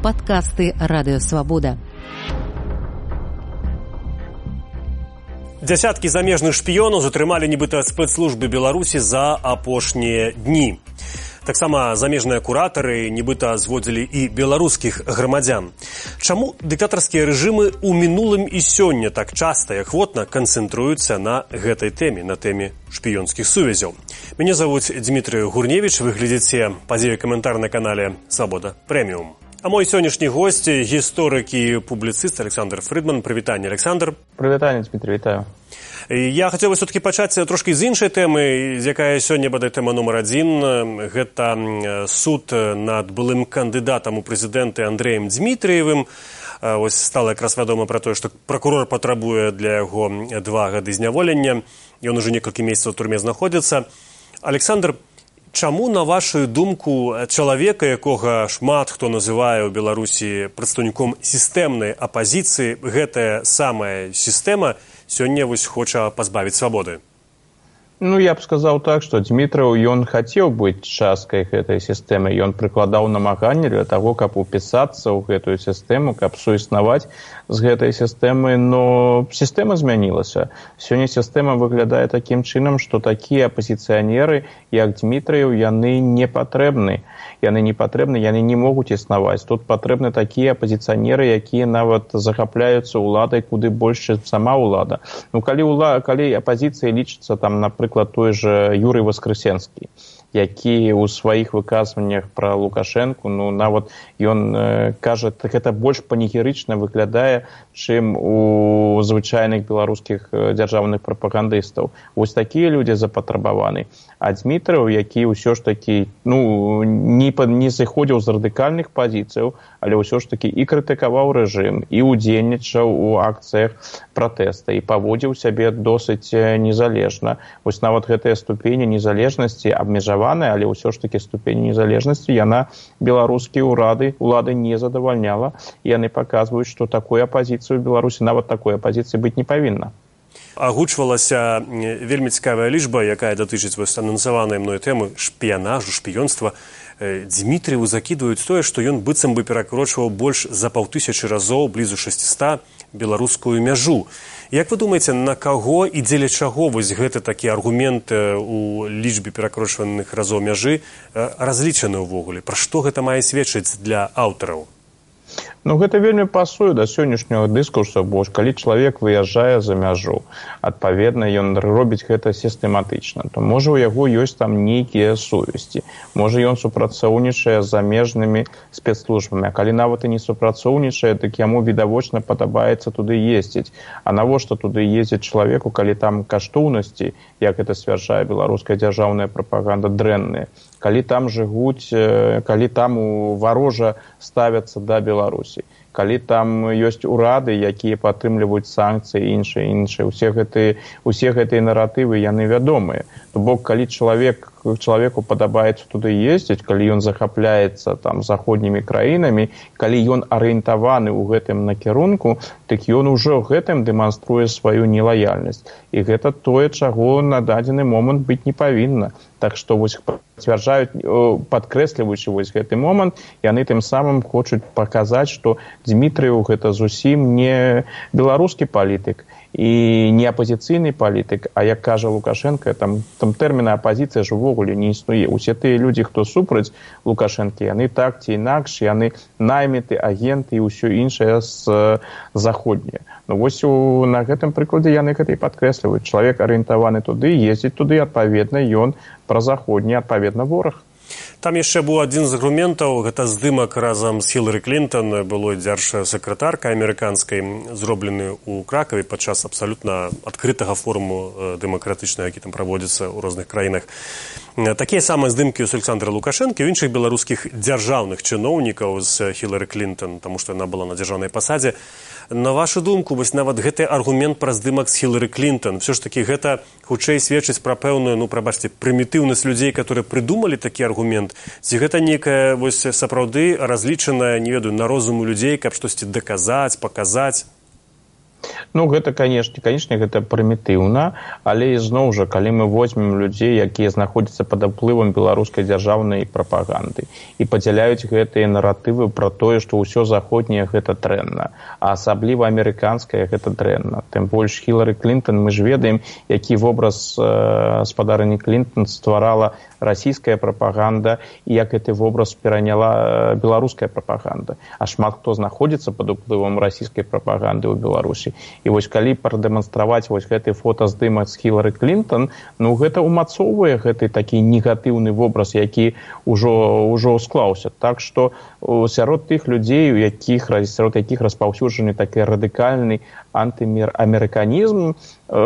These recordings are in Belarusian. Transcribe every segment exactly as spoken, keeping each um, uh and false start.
Падкасты Радыёвабода. Дзясяткі замежных шпіёнаў затрымалі нібыта спецслужбы Беларусі за апошнія дні. Таксама замежныя куратары нібыта зводзілі і беларускіх грамадзян. Чаму дыктатарскія рэжымы ў мінулым і сёння так часта і ахвотна канцэнтруюцца на гэтай тэме, на тэме шпіёнскіх сувязяў? Мяне завуць Дмітрый Гурневіч, вы глядзіце падзею каментар на канале Свабода Прэміум. А мой сённяшні госць, гісторык і публіцыст Александр Фрыдман. Прывітанне, Александр. Прывітанне, Дмітрый, вітаю. Я хацеў бы все-таки пачаць трошкі з іншай тэмы, з якая сёння бадай тэма нумар адзін. Гэта суд над былым кандыдатам у прэзідэнты Андрэем Дзмітрыевым. Ось стала якраз вядома пра тое, што пракурор патрабуе для яго два гады зняволення. Ён уже некалькі месяцаў у турме знаходзіцца. Александр, чаму, на вашу думку, чалавека, якога шмат хто называе ў Беларусі прадстаўніком сістэмнай апазіцыі, гэтая самая сістэма сёння вось хоча пазбавіць свабоды? Ну, я б сказаў так, што Дзмітрыў, ён хацеў быць часткай гэтай сістэмы. Ён прыкладаў намаганне для таго, каб упісацца ў гэтую сістэму, каб суіснаваць з гэтай сістэмы, но сістэма змянілася. Сёння сістэма выглядае такім чынам, што такія апазіцыянеры, як Дзмітрыў, яны не патрэбны. Яны не патрэбны, яны не могуць існаваць. Тут патрэбны такія апазіцыянеры, якія нават захапляюцца ўладай куды больш, чым сама ўлада. Ну, калі, ула... калі апазіцыя лічыцца, там, напрыклад, той же Юрый Воскресенскі, які ў сваіх выказваннях пра Лукашэнку, ну, нават ён э, кажа, так гэта больш панегірычна выглядае, чым у звычайных беларускіх дзяржаўных прапагандыстаў. Вось такія людзі запатрабаваны. А Дзмітрыў, які ўсё ж такі, ну, не, не зыходзіў з радыкальных пазіцыяў, але ўсё ж такі і крытыкаваў рэжым, і ўдзельнічаў у акцыях пратэста, і паводзіў сябе досыць незалежна. Вось нават гэтая ступень незалежнасці абмежаваная, але ўсё ж такі ступень незалежнасці, яна беларускія ўрады, улады не задавальняла. Яны паказваюць, што такой апазіцыі ў Беларусі, нават такой апазіцыі быць не павінна. Агучвалася вельмі цікавая лічба, якая датычыць вось анансаванай мной тэмы шпіянажу, шпіёнства. Дзмітрыеву закідваюць тое, што ён быццам бы перакрочваў больш за паўтысячы разоў, блізу шасціста, беларускую мяжу. Як вы думаеце, на каго і дзеля чаго вось гэты такі аргумент у лічбе перакрочваных разоў мяжы разлічаны ўвогуле? Пра што гэта мае сведчыць для аўтараў? Ну, гэта вельмі пасуе да сённяшняга дыскурсу, бо калі чалавек выязджае за мяжу, адпаведна, ён робіць гэта сістэматычна, то можа у яго ёсць там нейкія сувязі, можа ён супрацоўнічае з замежнымі спецслужбамі, а калі нават і не супрацоўнічае, дык яму відавочна падабаецца туды ездзіць. А навошта туды ездзіць чалавеку, калі там каштоўнасці, як гэта сцвярджае беларуская дзяржаўная прапаганда, дрэнныя, калі там жывуць, калі там варожа ставяцца да Беларусі, калі там ёсць урады, якія падтрымліваюць санкцыі і іншыя, іншыя. Усе гэтыя, усе гэтыя наратывы, яны вядомыя. То бок, калі чалавек, чалавеку падабаецца туды ездзіць, калі ён захапляецца там заходнімі краінамі, калі ён арыентаваны ў гэтым накірунку, дык ён ужо гэтым дэманструе сваю нелаяльнасць. І гэта тое, чаго на дадзены момант быць не павінна. Так што вось пацвярджаюць, падкрэсліваючы вось гэты момант, яны тым самым хочуць паказаць, што Дзмітрыў гэта зусім не беларускі палітык і не апазіцыйны палітык, а як кажа Лукашенко, там, там тэрміна апазіцыя ж увогуле не існуе. Усе тыя людзі, хто супраць Лукашэнкі, яны так ці інакш, яны найміты, агенты і ўсё іншае з заходняе. Ну вось у, на гэтым прыкладзе яны гэта і падкрэсліваюць. Чалавек арыентаваны туды, ездзіць туды, адпаведна, ён празаходні, адпаведна, вораг. Там яшчэ быў адзін з аргументаў, гэта здымак разам з Хілары Клінтон, былой дзяржсакратаркай амерыканскай, зроблены ў Кракаве падчас абсалютна адкрытага форуму дэмакратычнага, які там праводзіцца ў розных краінах. Такія самыя здымкі з Александра Лукашэнкі, у іншых беларускіх дзяржаўных чыноўнікаў з Хілары Клінтон, таму што яна была на дзяржаўнай пасадзе. На вашу думку, вось нават гэты аргумент пра здымак з Хілары Клінтон, все ж таки гэта хутчэй сведчыць пра пэўную, ну, прабачце, прымітыўнасць людзей, которые прыдумалі такі аргумент, ці гэта нейкая вось сапраўды разлічаная, не ведаю, на розум у людзей, каб штосьці даказаць, паказаць? Ну, гэта, канешне, канешне, гэта прымітыўна, але ізноў жа, калі мы возьмем людзей, якія знаходзяцца пад уплывам беларускай дзяржаўнай прапаганды і падзяляюць гэтыя наратывы пра тое, што ўсё заходняе гэта дрэнна, а асабліва амерыканскае гэта дрэнна. Тым больш Хілары Клінтон, мы ж ведаем, які вобраз э, спадарыні Клінтон стварала расійская прапаганда і як гэты вобраз пераняла беларуская прапаганда. А шмат хто знаходзіцца пад уплывам расійскай прапаганды ў Беларусі. І вось калі прадэманстраваць вось гэты фотаздымак з Хілары Клінтон, ну гэта ўмацоўвае гэты такі негатыўны вобраз, які ўжо ўжо склаўся. Так што сярод тых людзей, у якіх сярод якіх распаўсюджаны такі радыкальны антыамерыканізм,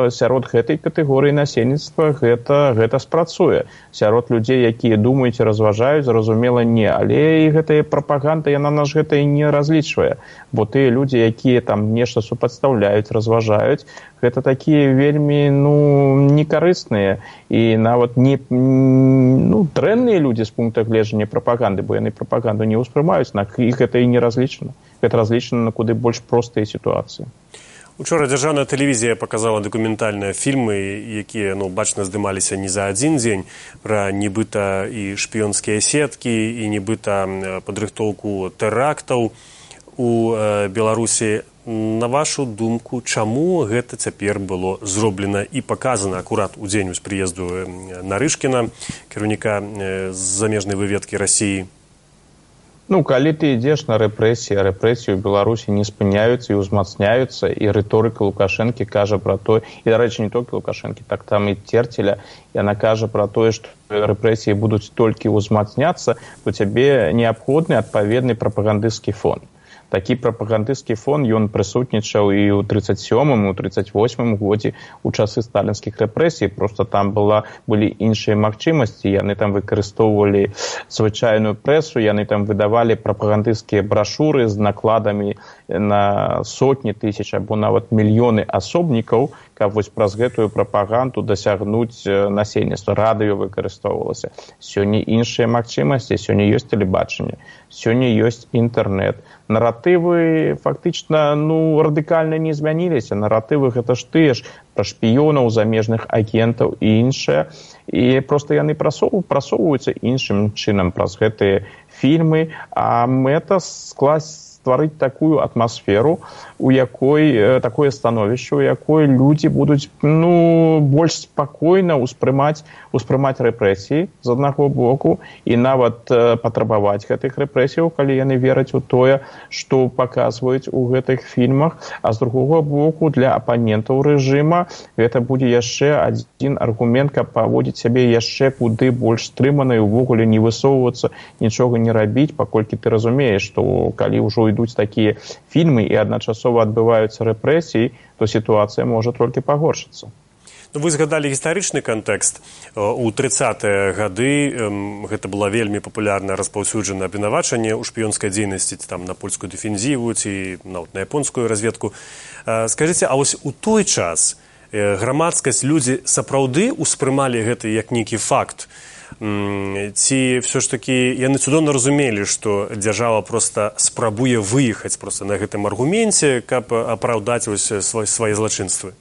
сярод гэтай катэгорыі насельніцтва гэта гэта спрацуе. Сярод людзей, якія думаюць і разважаюць, зразумела, не, але і гэтая прапаганда, яна наш гэта і не разлічвае, бо тыя людзі, якія там нешта супадстаўляюць, разважаюць, гэта такія вельмі, ну, некарысныя і нават не, ну, дрэнныя людзі з пункта гледжання прапаганды, бо яны прапаганду не ўспрымаюць, на іх гэта і не разлічана. Гэта разлічана на куды больш простыя сітуацыі. Учора дзяржаўная тэлевізія паказала дакументальныя фільмы, якія, ну, бачна, здымаліся не за адзін дзень, пра нібыта і шпіёнскія сеткі, і нібыта падрыхтоўку тэрактаў у э, Беларусі. На вашу думку, чаму гэта цяпер было зроблена і паказана акурат у дзень прыезду Нарышкіна, кіраўніка э, замежнай выведкі Расіі? Ну, калі ты ідзеш на рэпрэсіі, а рэпрэсіі ў Беларусі не спыняюцца і ўзмацняюцца, і рыторыка Лукашэнкі кажа пра тое, і, дарэчы, не толькі Лукашэнкі, так там і Церцеля, яна кажа пра тое, што рэпрэсіі будуць толькі ўзмацняцца, то цябе неабходны адпаведны прапагандысцкі фон. Такі прапагандысцкі фон, ён прысутнічаў і ў трыццаць сёмым, і ў трыццаць восьмым годзе у часы сталінскіх рэпрэсій. Проста там была, былі іншыя магчымасці, яны там выкарыстоўвалі звычайную прэсу, яны там выдавалі прапагандысцкія брашуры з накладамі на сотні тысяч або нават мільёны асобнікаў, каб вось праз гэтую прапаганду дасягнуць насельніцтва. Радыё выкарыстоўвалася. Сёння іншыя магчымасці, сёння ёсць тэлебачанне, сёння ёсць інтэрнэт. Наратывы фактычна, ну, радыкальна не змяніліся. Наратывы гэта ж тыя ж пра шпіёнаў, замежных агентаў і іншае. І проста яны прасоўваюцца іншым чынам праз гэтыя фільмы, а мэта скласць стварыць такую атмасферу, у якой такое становішча, у якой людзі будуць, ну, больш спакойна ўспрымаць успрымаць рэпрэсіі з аднаго боку і нават патрабаваць гэтых рэпрэсіяў, калі яны вераць у тое, што паказваюць у гэтых фільмах, а з другога боку для апанентаў рэжыма гэта будзе яшчэ адзін аргумент, каб паводзіць сябе яшчэ куды больш стрымана і ўвогуле не высоўвацца, нічога не рабіць, паколькі ты разумееш, што калі ўжо ідуць такія фільмы і адначасова адбываюцца рэпрэсіі, то сітуацыя можа толькі пагоршыцца. Ну, вы згадалі гістарычны кантэкст. У трыццатыя гады гэта было вельмі папулярна распаўсюджана абвінавачанне ў шпіёнскай дзейнасці, там на польскую дэфензіву ці нават на японскую разведку. Скажыце, а вось у той час грамадскасць, людзі сапраўды ўспрымалі гэта як нейкі факт? Ці все ж таки яны цудоўна разумелі, што дзяржава проста спрабуе выехаць проста на гэтым аргуменце, каб апраўдаць свае злачынствы?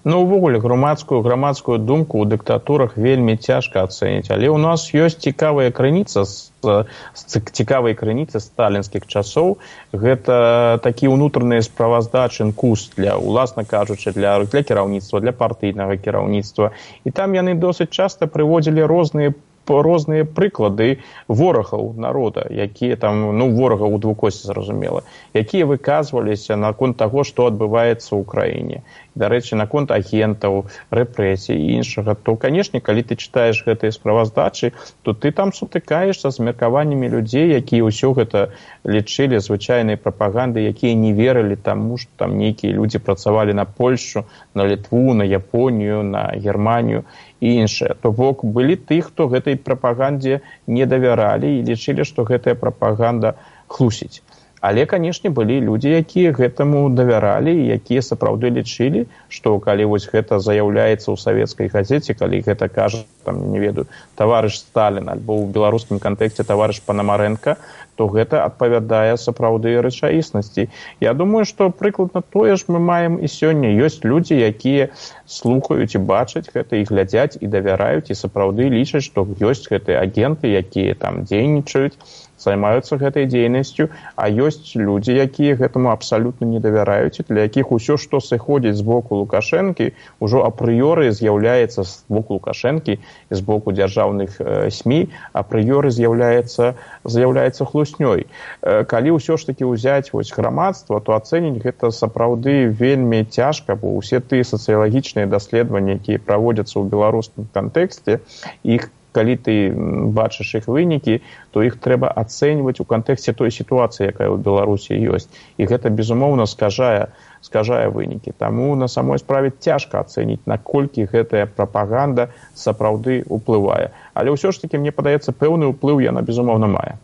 Ну, увогуле, грамадскую грамадскую думку ў дыктатурах вельмі цяжка ацэніць, але ў нас ёсць цікавая крыніца з, з цікавай крыніцы сталінскіх часоў. Гэта такі ўнутраныя справаздачы НКУС для, уласна кажучы, для, для кіраўніцтва, для партыйнага кіраўніцтва. І там яны досыць часта прыводзілі розныя розныя прыклады ворагаў народа, якія там, ну, ворагаў у двукосці, зразумела, якія выказваліся наконт таго, што адбываецца ў краіне. Дарэчы, наконт агентаў, рэпрэсій і іншага, то, канешне, калі ты чытаеш гэтыя справаздачы, то ты там сутыкаешся з меркаваннямі людзей, якія ўсё гэта лічылі звычайнай прапагандай, якія не верылі таму, што там нейкія людзі працавалі на Польшчу, на Літву, на Японію, на Германію і іншае. То бок былі тых, хто гэтай прапагандзе не давяралі і лічылі, што гэтая прапаганда хлусіць. Але, канешне, былі людзі, якія гэтаму давяралі, якія сапраўды лічылі, што калі вось гэта заяўляецца ў савецкай газеце, калі гэта кажа, там, не ведаю, таварыш Сталін, альбо ў беларускім кантэксце таварыш Панамарэнка, то гэта адпавядае сапраўды рэчаіснасці. Я думаю, што прыкладна тое ж мы маем і сёння. Ёсць людзі, якія слухаюць і бачаць гэта, і глядзяць, і давяраюць, і сапраўды лічаць, што ёсць гэтыя агенты, якія там дзейнічаюць, займаюцца гэтай дзейнасцю, а ёсць людзі, якія гэтаму абсалютна не давяраюць, для якіх усё, што сыходзіць з боку Лукашэнкі, ужо апрыёры з'яўляецца з боку Лукашэнкі і з боку дзяржаўных э, СМІ, апрыёры з'яўляецца з'яўляецца хлуснёй. Э, калі ўсё ж такі ўзяць вось грамадства, то ацэніць гэта сапраўды вельмі цяжка, бо ўсе тыя сацыялагічныя даследаванні, якія праводзяцца ў беларускім кантэксце, іх калі ты бачыш іх вынікі, то іх трэба ацэньваць у кантэксце той сітуацыі, якая ў Беларусі ёсць. І гэта, безумоўна, скажае, скажае вынікі. Таму на самой справе цяжка ацэніць, наколькі гэтая прапаганда сапраўды ўплывае. Але ўсё ж такі, мне падаецца, пэўны ўплыў яна, безумоўна, мае.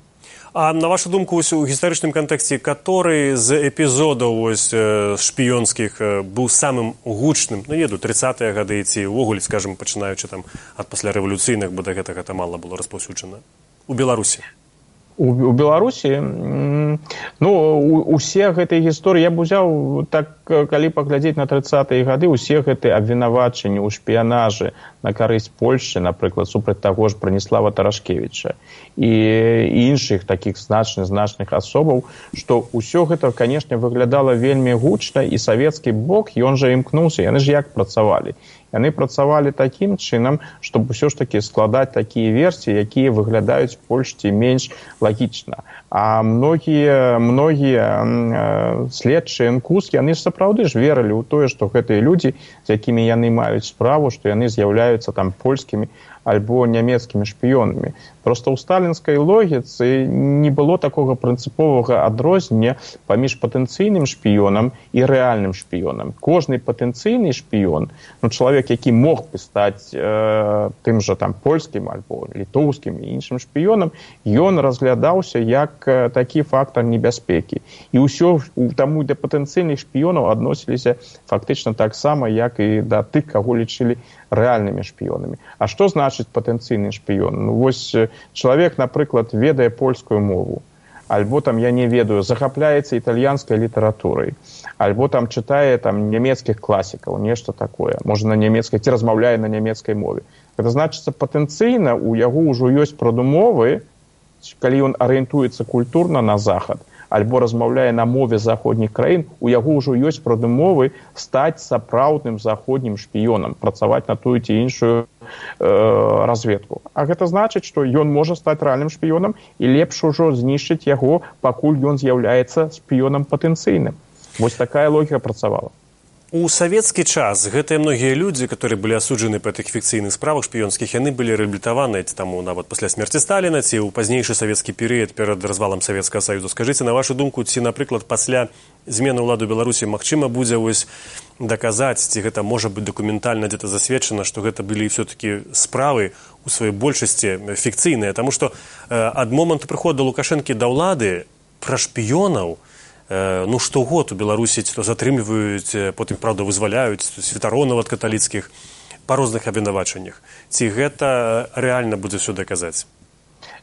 А на вашу думку, у гістарычным кантэксце, который з эпізодаў ось, шпіёнскіх быў самым гучным, ну, еду, трыццатыя гады ці ўвогуле, скажем, пачынаючы там ад паслярэвалюцыйных, бо да гэтага гэта мала было распаўсюджана у Беларусі? У, у Беларусі, ну, у, усе гэтыя гісторыі, я б узяў, так, калі паглядзець на трыццатыя гады, усе гэтыя абвінавачанні ў шпіянажы на карысць Польшчы, напрыклад, супраць таго ж Браніслава Тарашкевіча і, і іншых такіх значных, значных асобаў, што ўсё гэта, канешне, выглядала вельмі гучна, і савецкі бок, ён жа імкнуўся, яны ж як працавалі? Яны працавалі такім чынам, щоб ўсё ж такі складаць такія версіі, якія выглядаюць Польшці менш лагічна. А многія, многія э, следчыя эн ку эс, яны ж сапраўды ж верылі ў тое, што гэтыя людзі, з якімі яны маюць справу, што яны з'яўляюцца там польскімі альбо нямецкімі шпіёнамі. Проста ў сталінскай логіцы не было такога прынцыповага адрознення паміж патэнцыйным шпіёнам і рэальным шпіёнам. Кожны патэнцыйны шпіён, ну, чалавек, які мог бы стаць э, тым жа там польскім альбо літоўскім і іншым шпіёнам, ён разглядаўся як э, такі фактар небяспекі. І ўсё таму да патэнцыйных шпіёнаў адносіліся фактычна таксама, як і да тых, каго лічылі рэальнымі шпіёнамі. А што значыць патэнцыйны шпіён? Ну, вось чалавек, напрыклад, ведае польскую мову, альбо там, я не ведаю, захапляецца італьянскай літаратурай, альбо там чытае там нямецкіх класікаў, нешта такое, можа на нямецкай, ці размаўляе на нямецкай мове. Гэта значыцца, патэнцыйна у яго ўжо ёсць прадумовы, калі ён арыентуецца культурна на захад, альбо размаўляе на мове заходніх краін, у яго ўжо ёсць прадумовы стаць сапраўдным заходнім шпіёнам, працаваць на тую ці іншую э, разведку. А гэта значыць, што ён можа стаць рэальным шпіёнам, і лепш ужо знішчыць яго, пакуль ён з'яўляецца шпіёнам патэнцыйным. Вось такая логіка працавала. У савецкі час гэтыя многія людзі, которые былі асуджаны па тых фікцыйных справах шпіёнскіх, яны былі рэабілітаваны таму нават пасля смерці Сталіна ці ў пазнейшы савецкі перыяд перад развалам Савецкага Саюзу. Скажыце, на вашу думку, ці, напрыклад, пасля змены ўлады Беларусі магчыма будзе вось даказаць, ці гэта можа быць дакументальна дзе-то засведчана, што гэта былі все-таки справы у сваёй большасці фікцыйныя, таму што э, ад моманту прыходу Лукашэнкі да ўлады пра шпіёнаў ну, штогод у Беларусі то затрымліваюць, потым, правда, вызваляюць святаронаў ад каталіцкіх па розных абвінавачаннях. Ці гэта рэальна будзе ўсё даказаць?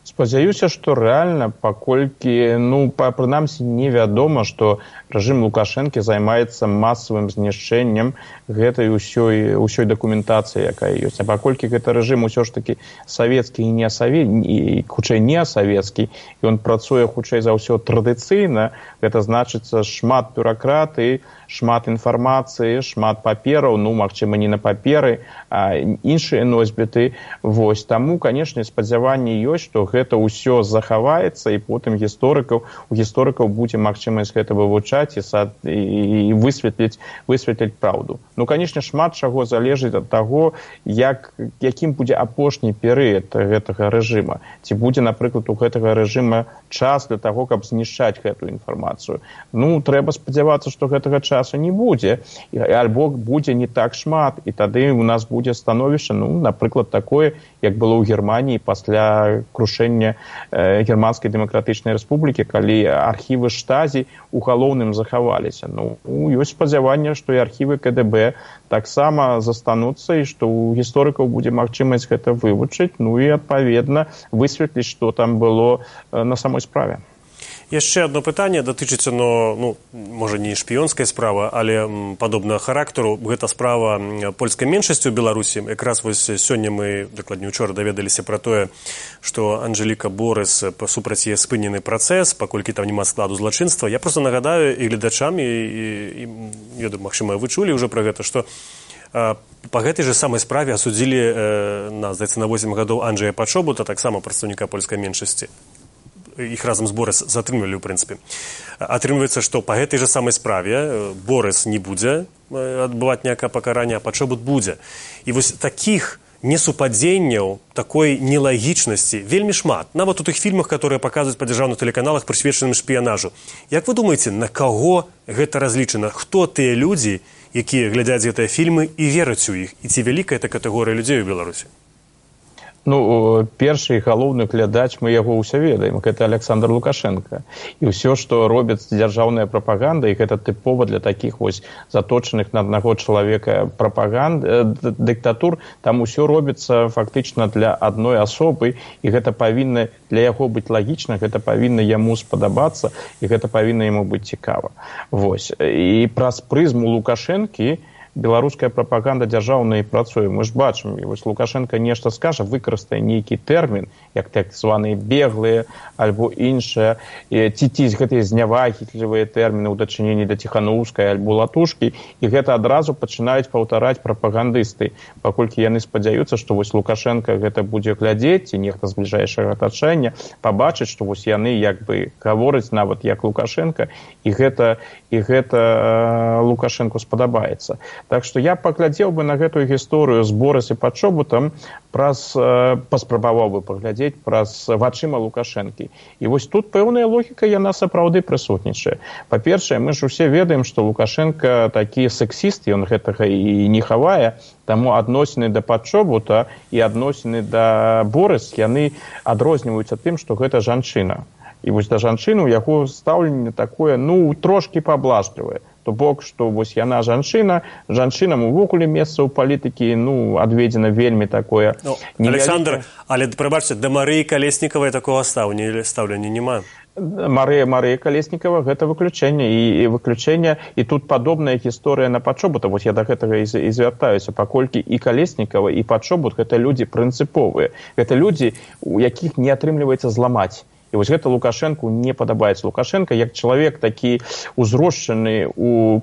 Спадзяюся, што рэальна, паколькі, ну, прынамсі, невядома, што рэжым Лукашэнкі займаецца масавым знішчэннем гэтай усёй, усёй дакументацыі, якая ёсць. А паколькі гэта рэжым усё ж такі савецкі і не савецкі, хутчэй не савецкі, і ён працуе хутчэй за ўсё традыцыйна, гэта значыцца шмат бюракратыі, шмат інфармацыі, шмат папераў, ну, магчыма, не на паперы, а іншыя носьбіты. Вось, таму, канешне, спадзяванне ёсць, што гэта ўсё захаваецца, і потым гісторыкаў, у гісторыкаў будзе магчымасць гэта вывучаць і, сад, і высветліць, высветліць праўду. Ну, канешне, шмат чаго залежыць ад таго, як, якім будзе апошні перыяд гэтага рэжыма. Ці будзе, напрыклад, у гэтага рэжыма час для таго, каб знішчаць гэтую інфармацыю. Ну, трэба спадзявацца, што гэтага часу не будзе, альбо будзе не так шмат, і тады у нас будзе становішча, ну, напрыклад, такое, як было ў Германіі пасля крушэння э, Германскай дэмакратычнай рэспублікі, калі архівы Штазі ў галоўным захаваліся. Ну, ёсць спадзяванне, што і архівы ка дэ бэ таксама застануцца і што ў гісторыкаў будзе магчымасць гэта вывучыць, ну і адпаведна высветліць, што там было э, на самой справе. Яшчэ одно пытанне датычыцца, но, ну, можа, не шпіёнскай справы, але падобнага характару. Гэта справа польскай меншасці ў Беларусі. Якраз вось сёння мы, дакладней учора, даведаліся пра тое, што Анжэліка Борыс, супраць яе спынены працэс, паколькі там няма складу злачынства. Я проста нагадаю і гледачам, і, і, і я думаю, магчыма, вы чулі ўжо пра гэта, што э, па гэтай жа самай справе асудзілі э, на, здаецца, на восем гадоў Анджэя Пачобута, таксама прадстаўніка польскай меншасці. Іх разам з Борыс затрымлівалі, ў прынцыпе. Атрымліваецца, што па гэтай жа самай справе Борыс не будзе адбываць ніякае пакаранне, а Пачобут будзе. І вось такіх несупадзенняў, такой нелагічнасці вельмі шмат. Нават у тых фільмах, которые паказваюць па дзяржаўных тэлеканалах, прысвечаным шпіянажу. Як вы думаеце, на каго гэта разлічана? Хто тыя людзі, якія глядзяць гэтыя фільмы і вераць у іх? І ці вялікая эта катэгорыя людзей у Беларусі? Ну, першы і галоўны глядач, мы яго ўсе ведаем, гэта Александр Лукашенко. І ўсё, што робіць дзяржаўная прапаганда, і гэта тыпова для такіх вось заточаных на аднаго чалавека прапаганд, дыктатур, там усё робіцца фактычна для адной асобы, і гэта павінна для яго быць лагічна, гэта павінна яму спадабацца, і гэта павінна яму быць цікава. Вось. І праз прызму Лукашэнкі беларуская прапаганда дзяржаўная і працуе. Мы ж бачым, і вось Лукашенко нешта скажа, выкарыстае нейкі тэрмін, як так званыя беглыя альбо іншыя, ці ці гэтыя знявагітлівыя тэрміны ў дачыненні да Ціханаўскай альбо Латушкі, і гэта адразу пачынаюць паўтараць прапагандысты, паколькі яны спадзяюцца, што вось Лукашенко гэта будзе глядзець, ці нехта з бліжэйшага атачэння пабачыць, што вось яны як бы гавораць нават як Лукашенко, і гэта, і гэта Лукашенку спадабаецца. Так што я паглядзеў бы на гэтую гісторыю з Борыс і Пачобутам праз, паспрабаваў бы паглядзець праз вачыма Лукашэнкі. І вось тут пэўная логіка, яна сапраўды прысутнічае. Па-першае, мы ж усе ведаем, што Лукашенко такі сексіст, ён гэтага і не хавае, таму адносіны да Пачобута і адносіны да Борыс, яны адрозніваюцца тым, што гэта жанчына. І вось да жанчыны ў яго стаўленне такое, ну, трошкі паблажлівае. То бок, што вось яна жанчына, жанчынам увогуле месца ў палітыкі, ну, адведзена вельмі такое... Ну, Александр, але, прабачце, да Марыі Калеснікавай такога стаўлення няма. Марыя Марыя Калеснікава гэта выключэнне, і, і выключэнне, і тут падобная гісторыя на Пачобута, вось я да гэтага і, і звяртаюся, паколькі і Калеснікава, і Пачобут гэта людзі прынцыповыя. Гэта людзі, у якіх не атрымліваецца зламаць. І вось гэта Лукашэнку не падабаецца. Лукашенко, як чалавек такі узрошчаны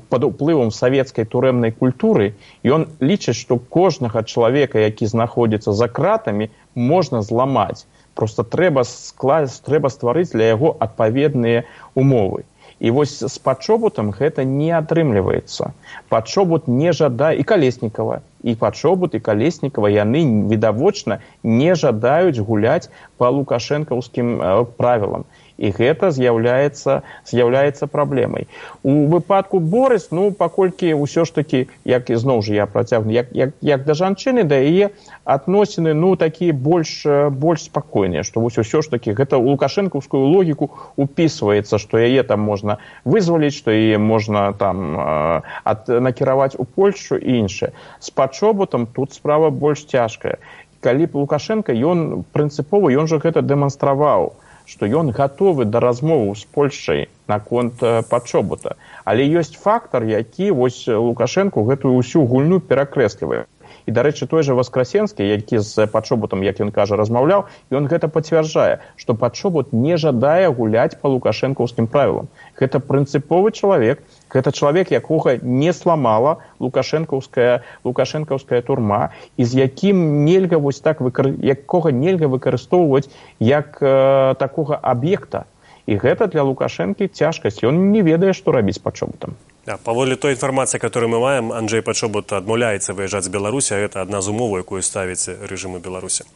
пад уплывам савецкай турэмнай культуры, ён лічыць, што кожнага чалавека, які знаходзіцца за кратамі, можна зламаць. Проста трэба скласць, трэба стварыць для яго адпаведныя умовы. І вось з Пачобутам гэта не атрымліваецца. Пачобут не жадае, і Калеснікава, і Пачобут, і Калеснікава, яны відавочна не жадаюць гуляць па лукашэнкаўскім правілам. І гэта з'яўляецца, з'яўляецца праблемай. У выпадку Борыс, ну, паколькі ўсё ж такі, як і зноў жа я працягну, як, як, як да жанчыны, да яе адносіны, ну, такія больш, больш спакойныя, што вось усё ж такі гэта ў лукашэнкаўскую логіку упісваецца, што яе там можна вызваліць, што яе можна там ад, накіраваць у Польшчу і іншае. З Пачобутам тут справа больш цяжкая. Калі Лукашенко, ён прынцыпова, ён жа гэта дэманстраваў, што ён гатовы да размоваў з Польшчай наконт Пачобута. Але ёсць фактар, які вось Лукашенко гэтую ўсю гульню перакрэслівае. І, дарэчы, той жа Васкрасенскі, які з Пачобутам, як ён кажа, размаўляў, ён гэта пацвярджае, што Пачобут не жадае гуляць па лукашэнкаўскім правілам. Гэта прынцыповы чалавек, гэта чалавек, якога не сламала лукашэнкаўская, лукашэнкаўская турма, і з якім нельга вось так выкар... якога нельга выкарыстоўваць як э, такога аб'екта. І гэта для Лукашэнкі цяжкасць. Ён не ведае, што рабіць з Пачобутам. Да, паводле той інфармацыі, которую мы маем, Анджэй Пачобут адмаўляецца выязджаць з Беларусі, а гэта адна з умоваў, якую ставіць рэжыму Беларусі.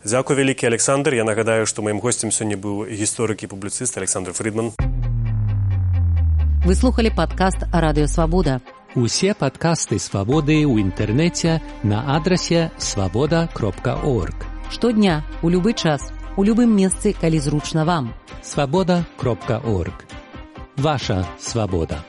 Дзякуй вялікі, Александр. Я нагадаю, што маім госцем сёння быў гісторык і публіцыст Александр Фрідман. Вы слухали падкаст «Радыё Свабода». Усе падкасты «Свабоды» ў інтэрнэце на адрасе свабода кропка орг. Штодня, у любы час, у любым месцы, калі зручна вам. свабода кропка орг. Ваша свабода.